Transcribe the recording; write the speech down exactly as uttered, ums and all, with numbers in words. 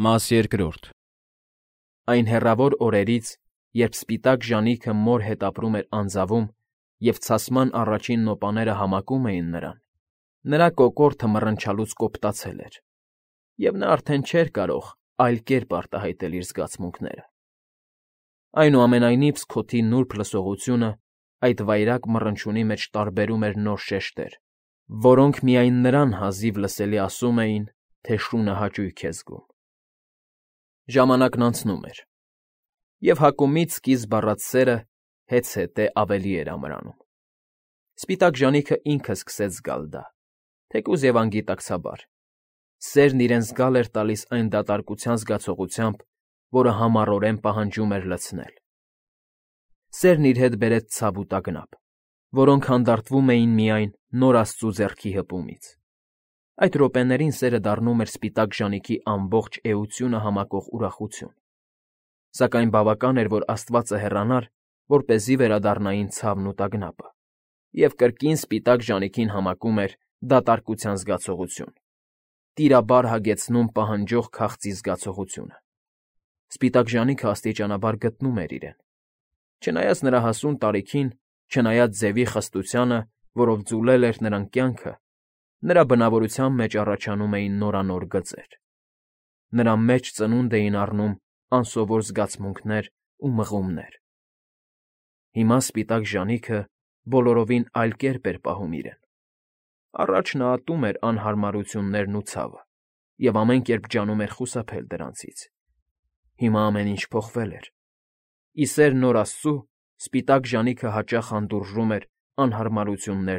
Մաս երկրորդ Այն հեռավոր օրերից, երբ սպիտակ ժանիքը մոր հետ ապրում էր անձավում և ցասման առաջին նոպաները համակում էին նրան, նրա կոկորդը մռնչալուց կոպտացել էր, և նա արդեն չէր կարող այլ կերպ արտահայտել իր զգացմունքները. այնուամենայնիվ սքոթի նուրբ լսողությունը այդ վայրագ մռնչյունի մեջ տարբերում էր նոր շեշտեր, որոնք միայն նրան հազիվ լսելի ասում էին, թե շունը հաճույք է զգում։ Ժամանակն անցնում էր, և հակումից սկիզբ առած սերը հեծհետե ավելի էր ամրանում. սպիտակ ժանիքը ինքը սկսեց զգալ դա, թեկուզ և անգիտակցաբար. սերն իրեն զգալ էր տալիս այն դատարկության զգացողությամբ, որը համառորեն պահանջում էր լցնել։ Սերն իր հետ բերեց ցավ ու տագնապ, որոնք հանդարտվում էին միայն նոր աստծու ձեռքի հպումից։ Այդ րոպեներին սերը դառնում էր սպիտակ ժանիքի ամբողջ էությունը համակող ուրախություն, սակայն բավական էր, որ աստվածը հեռանար, որպեսզի վերադառնային ցավն ու տագնապը, և կրկին սպիտակ ժանիքին համակում էր դատարկության զգացողություն, տիրաբար հագեցնում պահանջող քաղցի զգացողությունը։ Սպիտակ ժանիքը աստիճանաբար գտնում էր իրեն։ Չնայած նրա հասուն տարիքին, չնայած ձևի խստությանը, որով ձուլել էր նրան կյանքը, նրա բնավորության մեջ առաջանում էին նորանոր գծեր։ Նրա մեջ ծնունդ էին առնում անսովոր զգացմունքներ ու մղումներ։ Հիմա սպիտակ ժանիքը բոլորովին այլ կերպ էր պահում իրեն։ Առաջ նա ատում էր անհարմարություններն ու ցավը և ամեն կերպ ջանում էր խուսափել դրանցից։ Հիմա ամեն ինչ փոխվել էր։ Ի սեր նոր աստծու սպիտակ ժանիքը հաճախ հանդուրժում էր անհարմարություններ